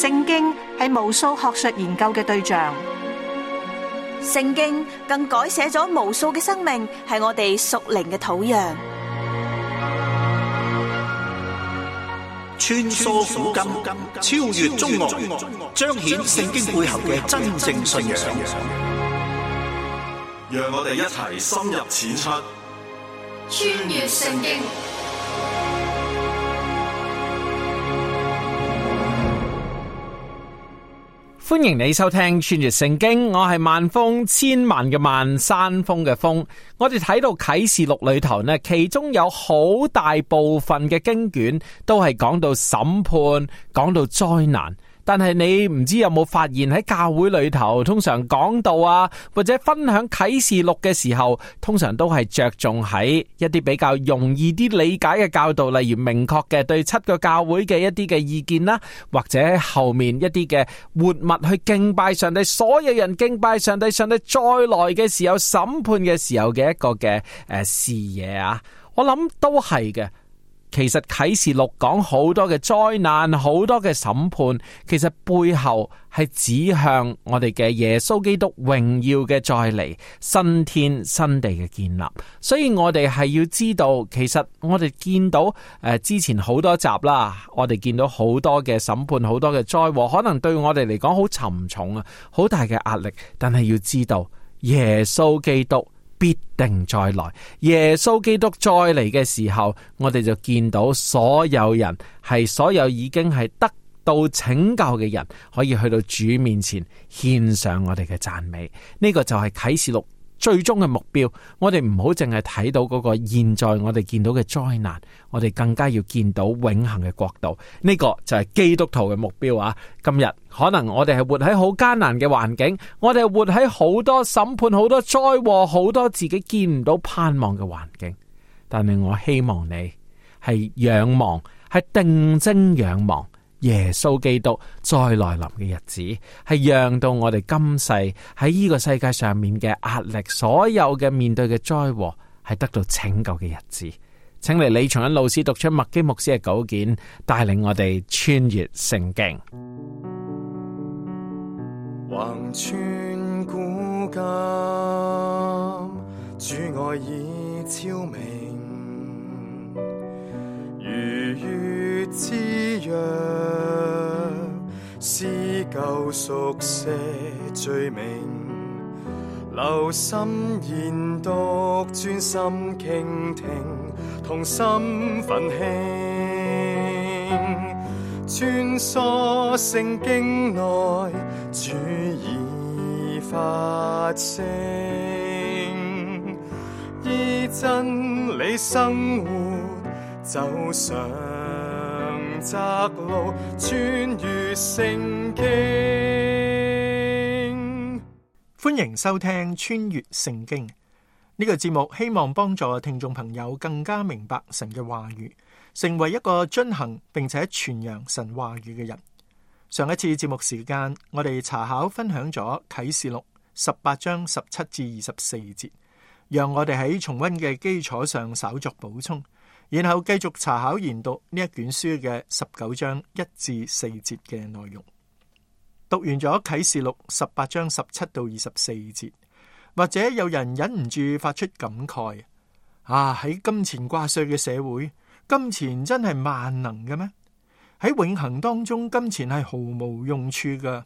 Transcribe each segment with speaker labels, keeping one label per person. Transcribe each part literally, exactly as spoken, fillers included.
Speaker 1: 聖經係無數學術研究嘅對象，
Speaker 2: 聖經更改寫咗無數嘅生命，係我哋屬靈嘅土壤。
Speaker 3: 穿梭古今，超越中外，彰顯聖經背後嘅真正信仰。
Speaker 4: 讓我哋一齊深入淺出，
Speaker 5: 穿越聖經。
Speaker 6: 歡迎你收聽穿越聖經，我係萬峰，千萬嘅萬，山峰嘅峰。我哋睇到啟示錄裏頭呢，其中有好大部分嘅經卷都係講到審判，講到災難。但係你唔知有冇發現喺教會裏頭，通常講道啊，或者分享啟示錄嘅時候，通常都係着重喺一啲比較容易啲理解嘅教導，例如明確嘅對七個教會嘅一啲嘅意見啦，或者後面一啲嘅活物去敬拜上帝，所有人敬拜上帝，上帝再來嘅時候，審判嘅時候嘅一個嘅誒視野啊，我諗都係嘅。其實啟示錄講好多嘅災難，好多嘅審判，其實背後係指向我哋嘅耶穌基督榮耀嘅再嚟，新天新地嘅建立。所以我哋係要知道，其實我哋見到誒、呃、之前好多集啦，我哋見到好多嘅審判，好多嘅災禍，可能對我哋嚟講好沉重啊，好大嘅壓力。但係要知道，耶穌基督必定再來，耶穌基督再嚟嘅時候，我哋就見到所有人係所有已經係得到拯救嘅人，可以去到主面前獻上我哋嘅讚美。呢個就係啟示錄最終嘅目標。我哋唔好淨係睇到嗰個現在我哋見到嘅災難，我哋更加要見到永恆嘅國度。呢個就係基督徒嘅目標啊！今日可能我哋係活喺好艱難嘅環境，我哋係活喺好多審判、好多災禍、好多自己見唔到盼望嘅環境。但係我希望你係仰望，係定睛仰望耶穌基督再來臨嘅日子，係讓到我哋今世喺呢個世界上面嘅壓力，所有嘅面對嘅災禍，係得到拯救嘅日子。請嚟李松恩老師讀出麥基牧師嘅稿件，帶領我哋穿越聖經。
Speaker 7: 橫穿古今，主愛已昭明，如月之約，撕舊熟寫罪名，留心研讀，專心傾聽，同心奮興，穿梭聖經內，主已發聲，依真理生活，走上窄路，穿越聖經。
Speaker 8: 歡迎收聽穿越聖經呢個節目，希望幫助聽眾朋友更加明白神嘅話語，成為一個遵行並且傳揚神話語嘅人。上一次節目時間，我哋查考分享咗啟示錄十八章十七至二十四節，讓我哋喺重溫嘅基礎上稍作補充，然後繼續查考研讀呢一卷書嘅十九章一至四節嘅內容。讀完咗啟示錄十八章十七到二十四節，或者有人忍唔住發出感慨：啊，喺金錢掛帥嘅社會，金錢真係萬能嘅咩？喺永恆當中，金錢係毫無用處噶。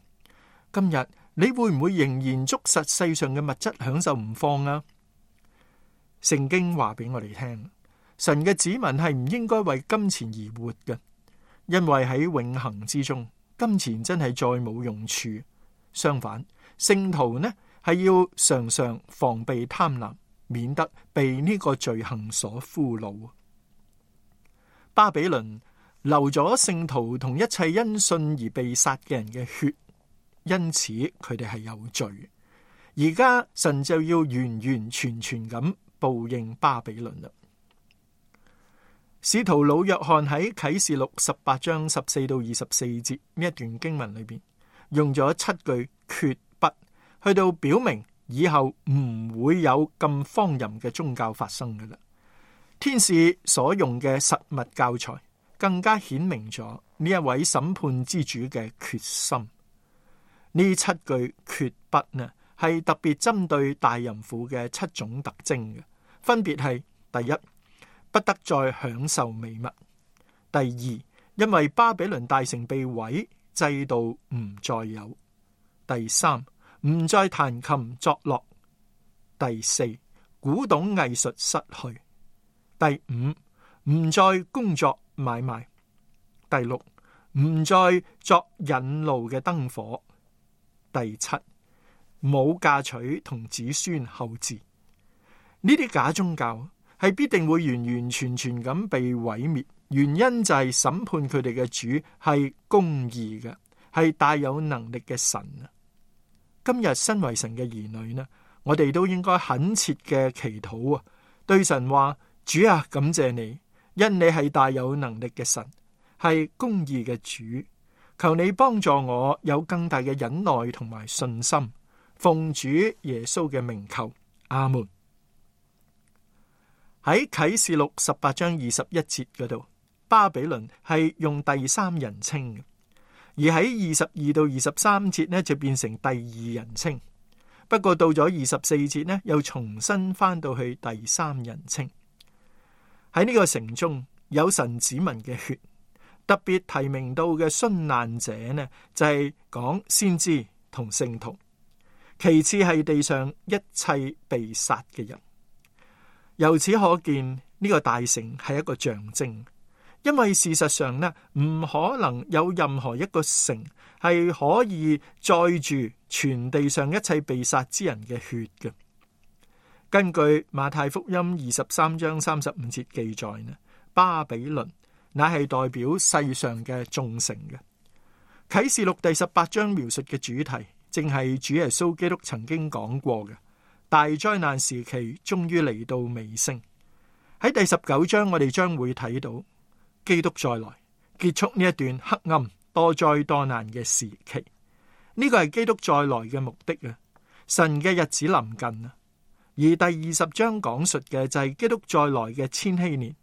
Speaker 8: 今日你會唔會仍然捉實世上嘅物質享受唔放啊？聖經話俾我哋聽，神嘅子民係唔應該為金錢而活嘅，因為喺永恆之中，金錢真係再冇用處。相反，聖徒呢係要常常防備貪婪，免得被呢個罪行所俘虜。巴比倫流咗聖徒同一切因信而被殺嘅人嘅血，因此佢哋係有罪。而家神就要完完全全咁報應巴比倫啦。使徒老約翰喺啟示錄十八章十四到二十四節呢一段經文裏邊，用咗七句決不，去到表明以後唔會有咁荒淫嘅宗教發生噶啦。天使所用嘅實物教材更加顯明咗呢一位審判之主嘅決心。呢七句決不呢，係特別針對大淫婦嘅七種特徵嘅，分別係：第一，不得再享受美物；第二，因為巴比倫大城被毀，制度唔再有；第三，唔再彈琴作樂；第四，古董藝術失去；第五，唔再工作買賣；第六，唔再作引路嘅燈火；第七，冇嫁娶同子孫後嗣。呢啲假宗教係必定會完完全全咁被毀滅，原因就係審判佢哋嘅主係公義嘅，係大有能力嘅神啊！今日身為神嘅兒女呢，我哋都應該懇切嘅祈禱啊，對神話：主啊，感謝你，因你係大有能力嘅神，係公義嘅主，求你幫助我有更大嘅忍耐同埋信心，奉主耶穌嘅名求，阿門。喺啟示錄十八章二十一節嗰度，巴比倫係用第三人稱嘅，而喺二十二到二十三節呢就變成第二人稱。不過到咗二十四節呢，又重新翻到去第三人稱。喺呢個城中有神子民嘅血，特別提名到嘅殉難者呢，就係講先知同聖徒，其次係地上一切被殺嘅人。由此可見，呢個大城係一個象徵，因為事實上呢，唔可能有任何一個城係可以載住全地上一切被殺之人嘅血嘅。根據馬太福音二十三章三十五節記載呢，巴比倫乃係代表世上嘅眾城嘅。啟示錄第十八章描述嘅主題，正係主耶穌基督曾經講過嘅。大災難時期終於嚟到尾聲。喺第十九章，我哋將會睇到基督再來，結束呢一段黑暗多災多難嘅時期。呢個係基督再來嘅目的啊！神嘅日子臨近啊！而第二十章講述嘅就係基督再來嘅千禧年，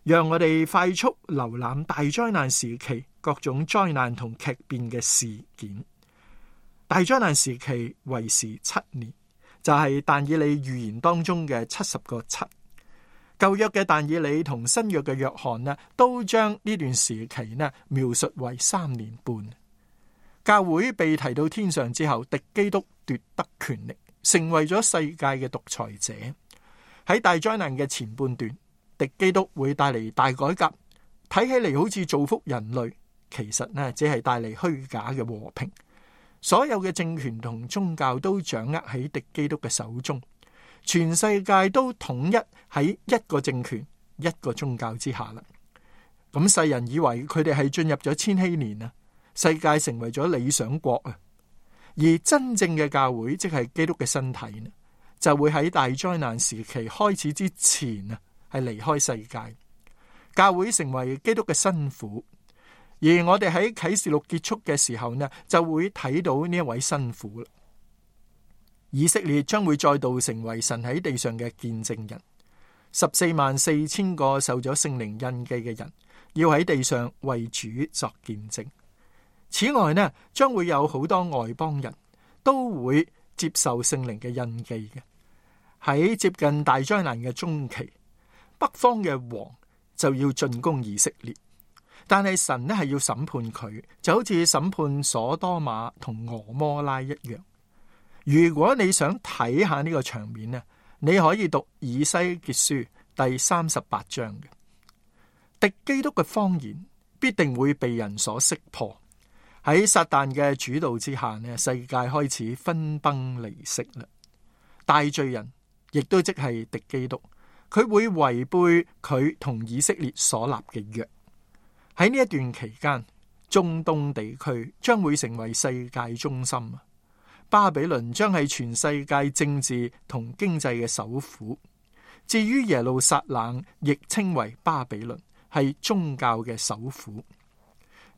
Speaker 8: 讓我哋快速瀏覽大災難時期各種災難同劇變嘅事件。大災難時期為時七年。就係但以理預言當中嘅七十個七，舊約嘅但以理同新約嘅約翰呢，都將呢段時期呢描述為三年半。教會被提到天上之後，敵基督奪得權力，成為咗世界嘅獨裁者。喺大災難嘅前半段，敵基督會帶嚟大改革，睇起嚟好似造福人類，其實呢只係帶嚟虛假嘅和平。所有嘅政權同宗教都掌握喺敵基督嘅手中，全世界都統一喺一個政權、一個宗教之下啦。咁世人以為佢哋係進入咗千禧年啊，世界成為咗理想國啊。而真正嘅教會，即係基督嘅身體呢，就會喺大災難時期開始之前啊，係離開世界。教會成為基督嘅新婦。而我哋喺啟示錄結束嘅時候呢，就會睇到呢一位新婦啦。以色列將會再度成為神喺地上嘅見證人，十四萬四千個受咗聖靈印記嘅人，要喺地上為主作見證。此外呢，將會有好多外邦人都會接受聖靈嘅印記嘅。喺接近大災難嘅中期，北方嘅王就要進攻以色列。但係神呢係要審判佢，就好似審判所多瑪同俄摩拉一樣。如果你想睇下呢個場面呢，你可以讀以西結書第三十八章嘅。敵基督嘅謊言必定會被人所識破。喺撒旦嘅主導之下呢，世界開始分崩離析啦。大罪人亦都即係敵基督，佢會違背佢同以色列所立嘅約。喺呢一段期間，中東地區將會成為世界中心，巴比倫將係全世界政治同經濟嘅首府。至於耶路撒冷，亦稱為巴比倫，係宗教嘅首府。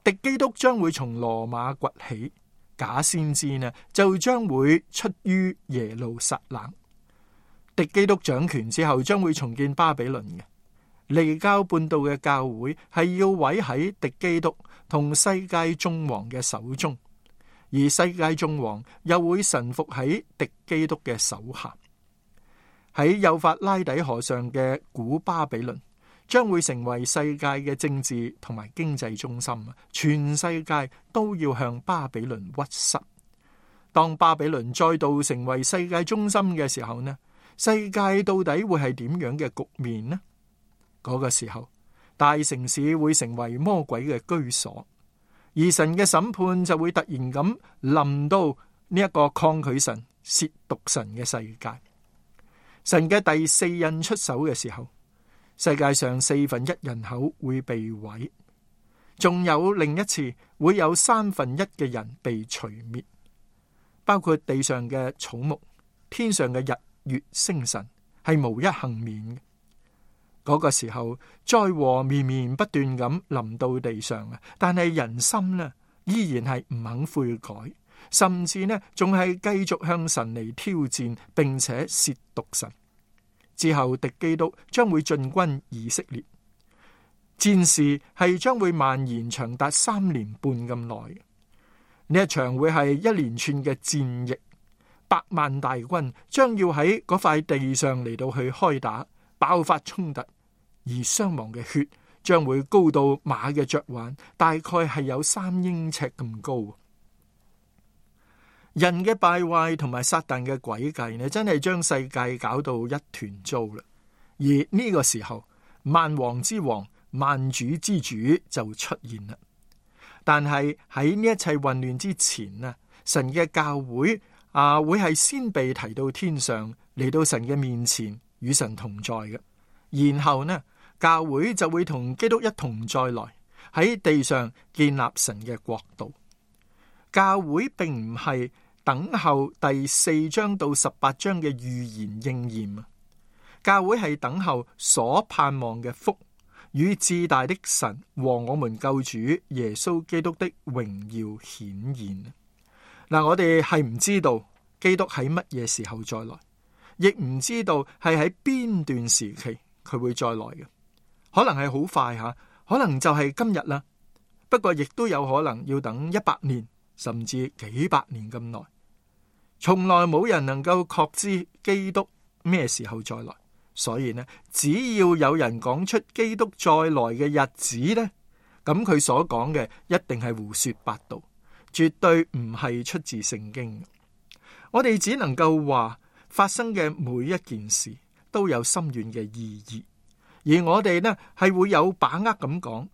Speaker 8: 敵基督將會從羅馬崛起，假先知呢就將會出於耶路撒冷。敵基督掌權之後，將會重建巴比倫嘅。離經叛道嘅教會係要毀喺敵基督同世界眾王嘅手中，而世界眾王又會臣服喺敵基督嘅手下。喺幼發拉底河上嘅古巴比倫將會成為世界嘅政治同埋經濟中心，全世界都要向巴比倫屈膝。當巴比倫再度成為世界中心嘅時候呢，世界到底會係點樣嘅局面呢？嗰個時候，大城市會成為魔鬼嘅居所，而神嘅審判就會突然咁臨到呢一個抗拒神、褻瀆神嘅世界。神嘅第四印出手嘅時候，世界上四分一人口會被毀，仲有另一次會有三分一嘅人被除滅，包括地上嘅草木、天上嘅日月星辰，係無一幸免嘅。嗰個時候，災禍綿綿不斷咁臨到地上啊！但係人心呢，依然係唔肯悔改，甚至呢，仲係繼續向神嚟挑戰，並且褻瀆神。之後，敵基督將會進軍以色列，戰事係將會蔓延長達三年半咁耐。呢一場會係一連串嘅戰役，百萬大軍將要喺嗰塊地上嚟到去開打，爆發衝突，而傷亡嘅血將會高到馬嘅嚼環，大概係有三英尺咁高。人嘅敗壞同埋撒旦嘅詭計呢，真係將世界搞到一團糟啦。而呢個時候，萬王之王、萬主之主就出現啦。但係喺呢一切混亂之前呢，神嘅教會啊，會係先被提到天上，嚟到神嘅面前與神同在嘅。然後呢，教會就會同基督一同再來，喺地上建立神嘅國度。教會並唔係等候第四章到十八章嘅預言應驗啊，教會係等候所盼望嘅福與至大的神和我們救主耶穌基督的榮耀顯現。嗱，我哋係唔知道基督喺乜嘢時候再來，亦唔知道係喺邊段時期佢會再來嘅，可能係好快吓，可能就係今日啦。不過亦都有可能要等一百年，甚至幾百年咁耐。從來冇人能夠確知基督咩時候再來，所以呢，只要有人講出基督再來嘅日子呢，咁佢所講嘅一定係胡說八道，絕對唔係出自聖經。我哋只能夠話發生嘅每一件事都有深遠嘅意義，而我哋呢係會有把握咁講，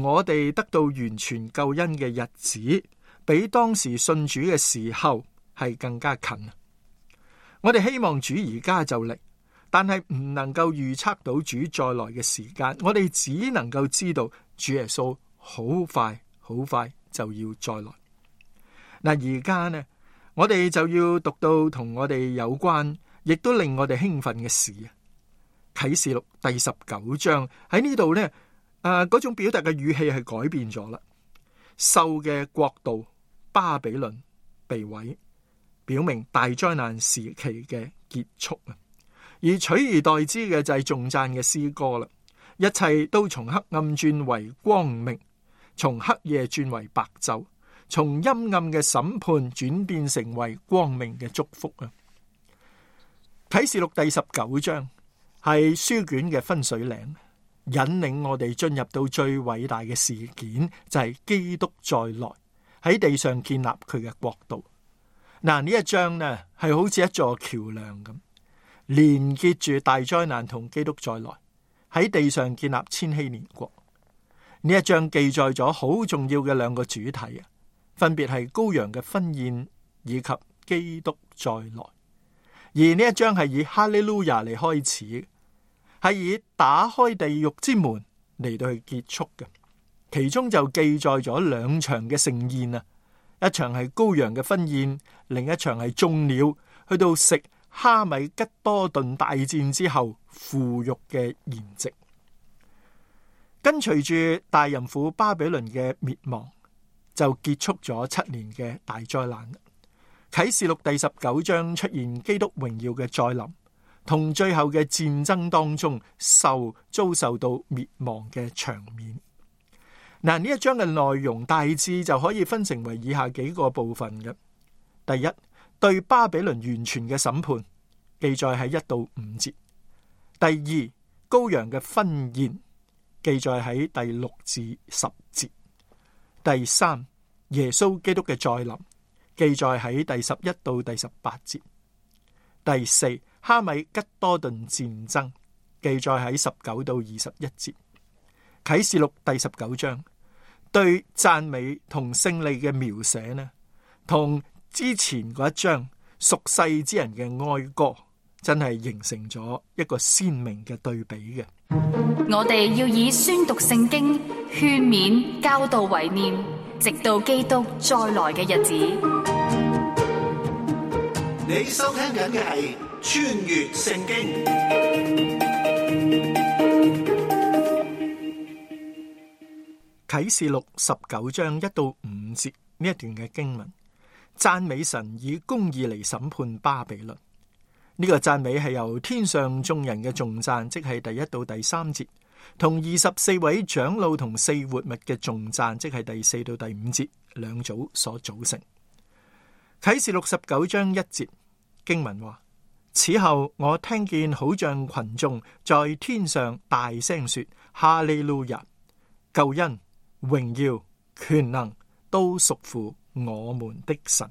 Speaker 8: 我哋得到完全救恩嘅日子，比當時信主嘅時候係更加近。我哋希望主而家就嚟，但係唔能夠預測到主再來嘅時間。我哋只能夠知道主耶穌好快好快就要再來。嗱，而家呢，我哋就要讀到同我哋有關，亦都令我哋興奮嘅事啊！啟示錄第十九章喺呢度呢，誒，嗰種表達嘅語氣係改變咗啦。獸嘅國度巴比倫被毀，表明大災難時期嘅結束啊！而取而代之嘅就係頌讚嘅詩歌啦。一切都從黑暗轉為光明，從黑夜轉為白晝，從陰暗嘅審判轉變成為光明嘅祝福啊！啟示錄第十九章係書卷嘅分水嶺，引領我哋進入到最偉大嘅事件，就係基督再來喺地上建立佢嘅國度。嗱，呢一章呢係好似一座橋樑咁，連結住大災難同基督再來喺地上建立千禧年國。呢一章記載咗好重要嘅兩個主題啊，分別係羔羊嘅婚宴以及基督再來。而呢一章係以哈利路亞嚟開始，係以打開地獄之門嚟到去結束嘅。其中就記載咗兩場嘅盛宴啊，一場係羔羊嘅婚宴，另一場係眾鳥去到食哈米吉多頓大戰之後腐肉嘅筵席。跟隨住大淫婦巴比倫嘅滅亡，就結束咗七年嘅大災難。啟示錄第十九章出現基督榮耀嘅再臨，同最後嘅戰爭當中受遭受到滅亡嘅場面。嗱，呢一章嘅內容大致就可以分成為以下幾個部分嘅。第一，對巴比倫完全嘅審判，記載喺一到五節。第二，羔羊嘅婚宴，記載喺第六至十節。第三，耶穌基督嘅再臨，記載喺第十一到第十八節。第四，哈米吉多頓戰爭，記載喺十九到二十一節。啟示錄第十九章對讚美同勝利嘅描寫呢，同之前嗰一章屬世之人嘅哀歌，真係形成咗一個鮮明嘅對比嘅。
Speaker 5: 我哋要以宣讀聖經、勸勉、教導為念，直到基督再來嘅日子。
Speaker 3: 你收聽緊嘅係穿越聖經。
Speaker 8: 啟示錄十九章一到五節呢一段嘅經文，讚美神以公義嚟審判巴比倫。呢個讚美係由天上眾人嘅頌讚，即係第一到第三節，同二十四位長老同四活物嘅頌讚，即係第四到第五節兩組所組成。啟示錄十九章一節經文話：此後我聽見好像群眾在天上大聲說：哈利路亞！救恩、榮耀、權能都屬乎我們的神。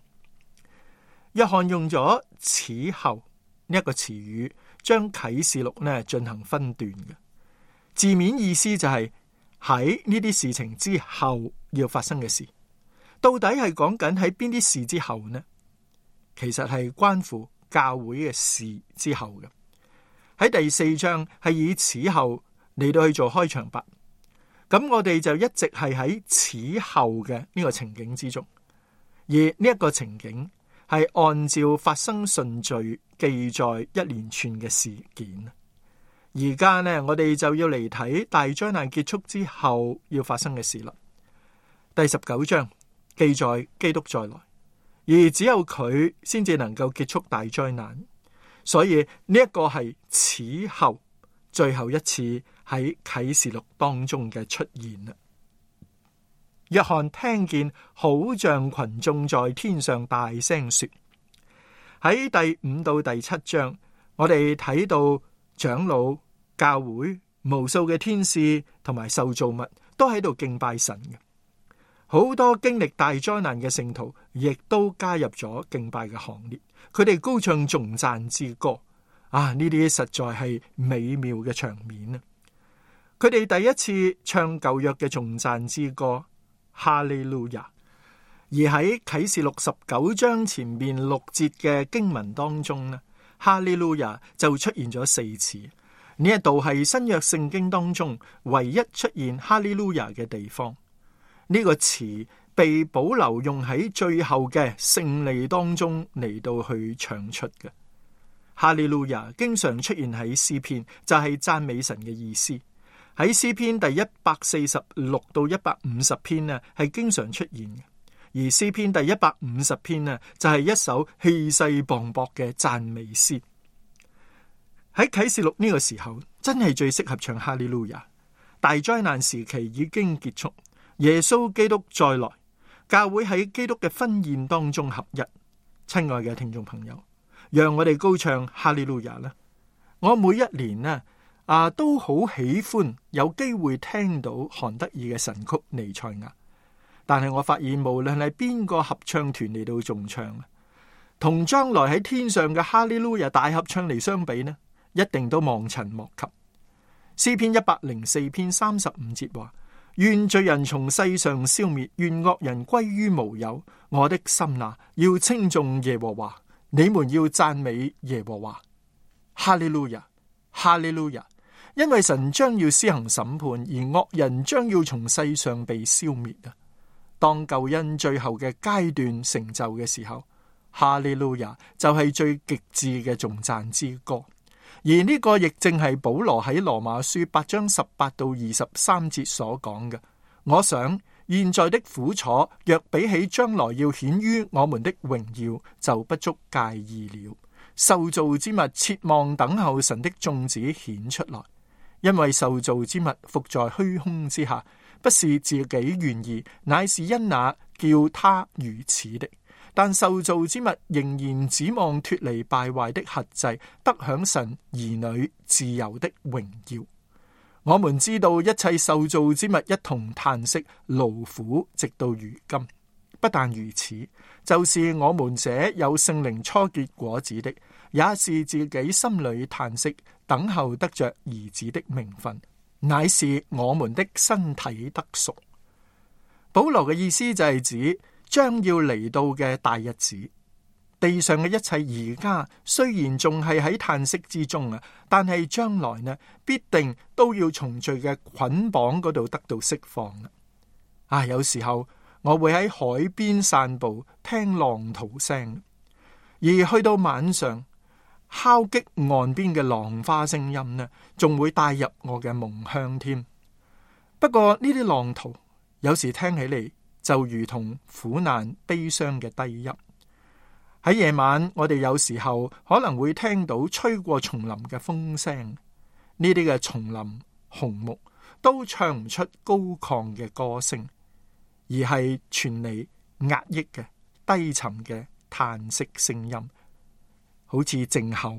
Speaker 8: 約翰用咗此後呢一個詞語，將啟示錄呢進行分段嘅字面意思就係喺呢啲事情之後要發生嘅事。到底係講緊喺邊啲事之後呢？其實係關乎教會嘅事之後嘅。喺第四章係以此後嚟到去做開場白。咁我哋就一直係喺此後嘅呢個情景之中，而呢一個情景係按照發生順序記載一連串嘅事件。而家呢，我哋就要嚟睇大災難結束之後要發生嘅事啦。第十九章記載基督再來，而只有佢先至能夠結束大災難，所以呢一個係此後最後一次喺啟示錄當中嘅出現啦。約翰聽見好像群眾在天上大聲說。喺第五到第七章，我哋睇到長老、教會、無數嘅天使同埋受造物都喺度敬拜神嘅。好多經歷大災難嘅聖徒亦都加入咗敬拜嘅行列，佢哋高唱頌讚之歌。啊！呢啲實在係美妙嘅場面啊！佢哋第一次唱舊約嘅頌讚之歌，哈利路亞。而喺啟示錄十九章前面六節嘅經文當中呢，哈利路亞就出現咗四次。呢一度係新約聖經當中唯一出現哈利路亞嘅地方。呢、這個詞被保留用喺最後嘅勝利當中嚟到去唱出嘅。哈利路亞經常出現喺詩篇，就係讚美神嘅意思。喺詩篇第一百四十六到一百五十篇呢，係經常出現嘅。而詩篇第一百五十篇呢，就係一首氣勢磅礴嘅讚美詩。喺啟示錄呢個時候，真係最適合唱哈利路亞。大災難時期已經結束，耶穌基督再來，教會喺基督嘅婚宴當中合一。親愛嘅聽眾朋友，讓我哋高唱哈利路亞啦！我每一年呢啊都好喜歡有機會聽到韓德爾嘅神曲《彌賽亞》，但係我發現無論係邊個合唱團嚟到重唱，同將來喺天上嘅哈利路亞大合唱嚟相比呢，一定都望塵莫及。詩篇一百零四篇三十五節話：願罪人從世上消滅，願惡人歸於無有。我的心啊，要稱頌耶和華。你們要讚美耶和華，哈利路亞，哈利路亞！因為神將要施行審判，而惡人將要從世上被消滅啊！當救恩最後嘅階段成就嘅時候，哈利路亞就係最極致嘅頌讚之歌。而呢個亦正係保羅喺羅馬書八章十八到二十三節所講嘅。我想現在的苦楚，若比起將來要顯於我們的榮耀，就不足介意了。受造之物切望等候神的眾子顯出來，因為受造之物伏在虛空之下，不是自己願意，乃是因那叫他如此的。但受造之物仍然指望脫離敗壞的轄制，得享神兒女自由的榮耀。我們知道一切受造之物一同嘆息勞苦，直到如今。不但如此，就是我們這有聖靈初結果子的，也是自己心裏嘆息，等候得着兒子的名分，乃是我們的身體得贖。保羅嘅意思就係指將要嚟到嘅大日子，地上嘅一切而家雖然仲係喺嘆息之中啊，但係將來呢，必定都要從罪嘅捆綁嗰度得到釋放啦。啊，有時候我會喺海邊散步，聽浪濤聲，而去到晚上，敲擊岸邊嘅浪花聲音呢，仲會帶入我嘅夢鄉添。不過呢啲浪濤有時聽起嚟就如同苦難悲傷嘅低吟。喺夜晚，我哋有時候可能會聽到吹過叢林嘅風聲，呢啲嘅叢林紅木都唱唔出高亢嘅歌聲，而係傳嚟壓抑嘅低沉嘅嘆息聲音，好似靜候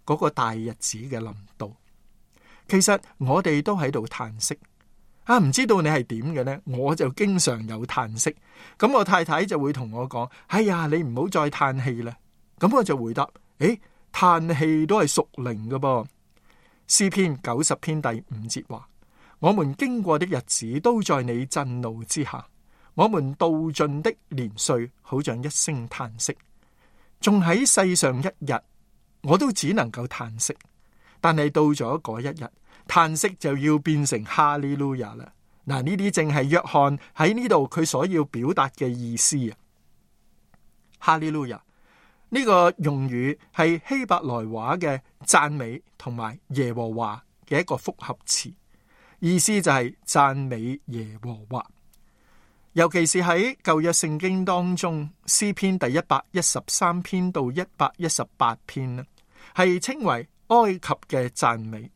Speaker 8: 嗰個大日子嘅臨到。其實我哋都喺度嘆息啊，唔知道你係點嘅呢？我就經常有嘆息，咁我太太就會同我講：哎呀，你唔好再嘆氣啦。咁我就回答：誒，嘆氣都係屬靈嘅噃。詩篇九十篇第五節話：我們經過的日子都在你震怒之下，我們度盡的年歲好像一聲嘆息。仲喺世上一日，我都只能夠嘆息，但係到咗嗰一日，嘆息就要變成哈利路亞啦。嗱，呢啲正係約翰喺呢度佢所要表達嘅意思啊。哈利路亞呢個用語係希伯來話嘅讚美同埋耶和華嘅一個複合詞，意思就係讚美耶和華。尤其是喺舊約聖經當中，詩篇第一百一十三篇到一百一十八篇呢，係稱為埃及嘅讚美。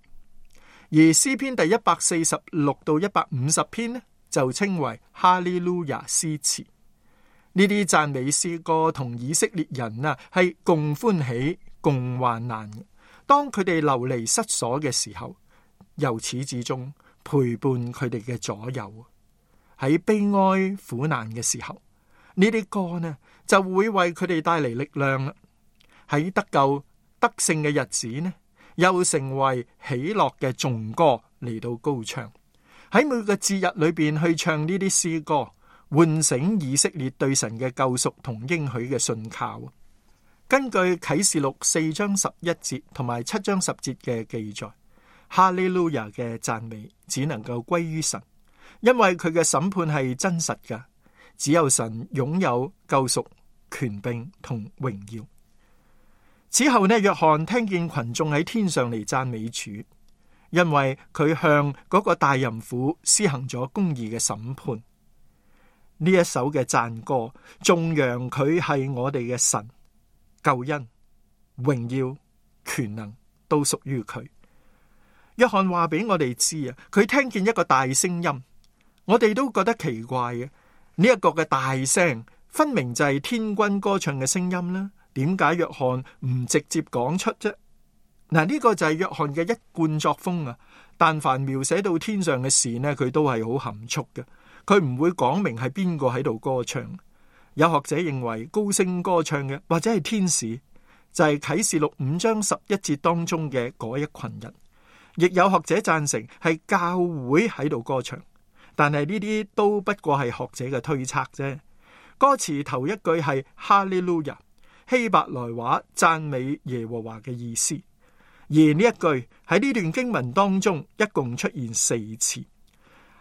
Speaker 8: 而詩篇第一百四十六到一百五十篇呢，就稱為哈利路亞詩詞。呢啲讚美詩歌同以色列人啊係共歡喜共患難嘅。當佢哋流離失所嘅時候，由始至終陪伴佢哋嘅左右。喺悲哀苦難嘅時候，呢啲歌呢就會為佢哋帶嚟力量啦。喺得救得勝嘅日子呢，又成為喜樂嘅頌歌嚟到高唱。喺每個節日裏邊去唱呢啲詩歌，喚醒以色列對神嘅救贖同應許嘅信靠。根據啟示錄四章十一節同埋七章十節嘅記載，哈利路亞嘅讚美只能夠歸於神，因為佢嘅審判係真實嘅，只有神擁有救贖、權柄同榮耀。此後呢，約翰聽見群眾喺天上嚟讚美主，因為佢向嗰個大淫婦施行咗公義嘅審判。呢一首嘅讚歌頌揚佢係我哋嘅神，救恩、榮耀、權能都屬於佢。約翰話俾我哋知啊，佢聽見一個大聲音，我哋都覺得奇怪嘅。呢一個嘅大聲分明就係天軍歌唱嘅聲音啦。點解約翰唔直接講出啫？嗱，呢個就係約翰嘅一貫作風啊。但凡描寫到天上嘅事呢，佢都係好含蓄嘅，佢唔會講明係邊個喺度歌唱。有學者認為高聲歌唱嘅或者係天使，就係啟示錄五章十一節當中嘅嗰一群人。亦有學者贊成係教會喺度歌唱，但係呢啲都不過係學者嘅推測啫。歌詞頭一句係哈利路亞，希伯來話讚美耶和華嘅意思，而呢一句喺呢段經文當中一共出現四次。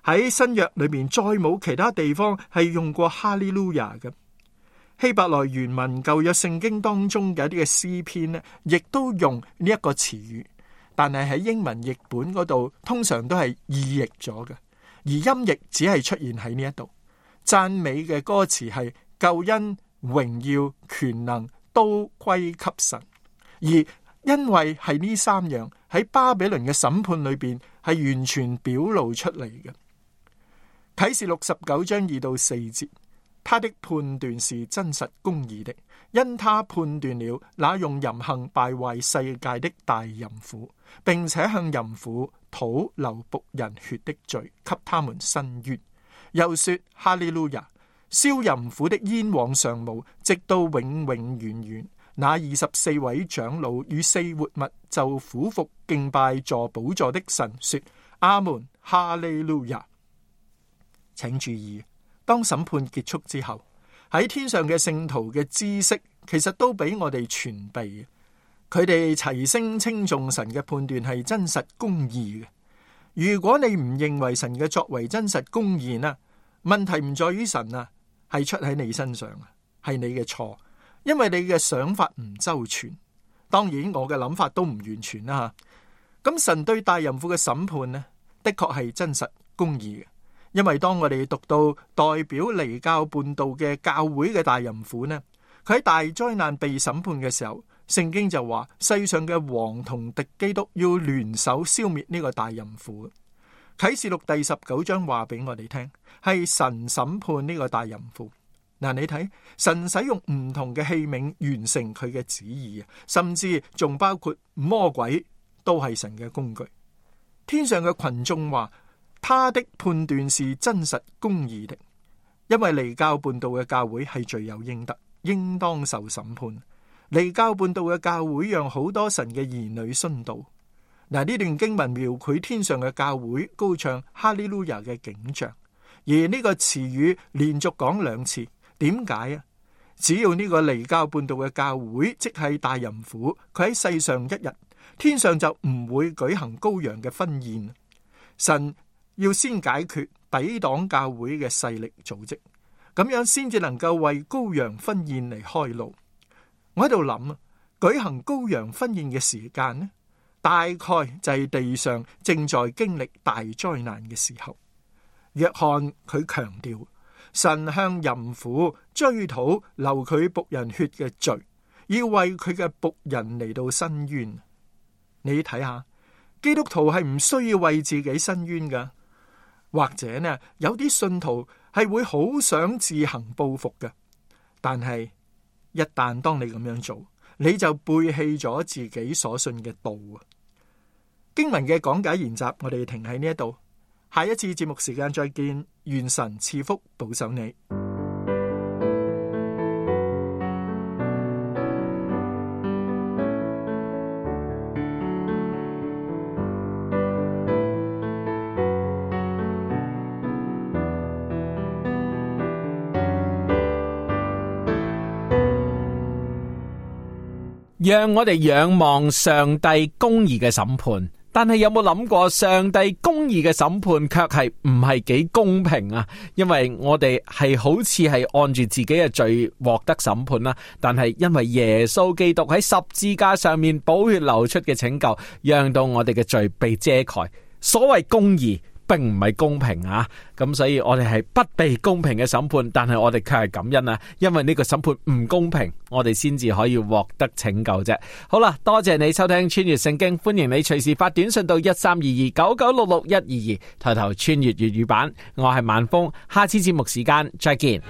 Speaker 8: 喺新約裏面再冇其他地方係用過哈利路亞嘅。希伯來原文舊約聖經當中嘅一啲嘅詩篇呢，亦都用呢一個詞語，但係喺英文譯本嗰度通常都係意譯咗嘅，而音譯只係出現喺呢一度。讚美嘅歌詞係救恩、榮耀、權能都歸給神，而因為係呢三樣喺巴比倫嘅審判裏邊係完全表露出嚟嘅。啟示錄十九章二到四節，他的判斷是真實公義的，因他判斷了那用淫行敗壞世界的大淫婦，並且向淫婦討流僕人血的罪，給他們伸冤。又說哈利路亞，燒淫婦的煙往上冒，直到永永遠遠。那二十四位長老與四活物就俯伏敬拜坐寶座的神，說阿門，哈利路亞。請注意，當審判結束之後，喺天上嘅聖徒嘅知識其實都俾我哋傳備，佢哋齊聲稱頌神嘅判斷係真實公義嘅。如果你唔認為神嘅作為真實公義呢，問題唔在於神啊，係出喺你身上啊，係你嘅錯。因為你嘅想法唔周全，當然我嘅諗法都唔完全啦吓。咁神對大淫婦嘅審判呢，的確係真實公義嘅。因為當我哋讀到代表離教叛道嘅教會嘅大淫婦呢，佢喺大災難被審判嘅時候，聖經就話世上嘅王同敵基督要聯手消滅呢個大淫婦。啟示錄第十九章話俾我哋聽，係神審判呢個大淫婦。嗱，你睇神使用唔同嘅器皿完成佢嘅旨意啊，甚至仲包括魔鬼都係神嘅工具。天上嘅群眾話，他的判斷是真實公義的，因為離教叛道嘅教會係罪有應得，應當受審判。離教叛道嘅教會讓好多神嘅兒女殉道。嗱，呢段經文描繪天上嘅教會高唱哈利路亞嘅景象，而呢個詞語連續講兩次。點解啊？只要呢個離教叛道嘅教會，即係大淫婦，佢喺世上一日，天上就唔會舉行羔羊嘅婚宴。神要先解決抵擋教會嘅勢力組織，咁樣先至能夠為羔羊婚宴嚟開路。我喺度諗啊，舉行羔羊婚宴嘅時間呢，大概就係地上正在經歷大災難嘅時候。約翰佢強調，神向淫婦追討流佢僕人血嘅罪，要為佢嘅僕人嚟到申冤。你睇下，基督徒係唔需要為自己申冤噶，或者呢，有啲信徒係會好想自行報復嘅，但係一旦當你咁樣做，你就背棄咗自己所信嘅道啊。經文嘅講解研習，我哋停喺呢一度。下一次節目時間再見，願神賜福保守你。
Speaker 6: 讓我哋仰望上帝公義嘅審判。但係有冇諗過，上帝公義嘅審判卻係唔係幾公平啊？因為我哋係好似係按住自己嘅罪獲得審判啦，但係因為耶穌基督喺十字架上面寶血流出嘅拯救，讓到我哋嘅罪被遮蓋。所謂公義並唔係公平啊，咁所以我哋係不被公平嘅審判，但係我哋卻係感恩啊，因為呢個審判唔公平，我哋先至可以獲得拯救啫。好啦，多謝你收聽穿越聖經，歡迎你隨時發短信到一三二二九九六六一二二，抬頭穿越粵語版，我係萬峰，下次節目時間再見。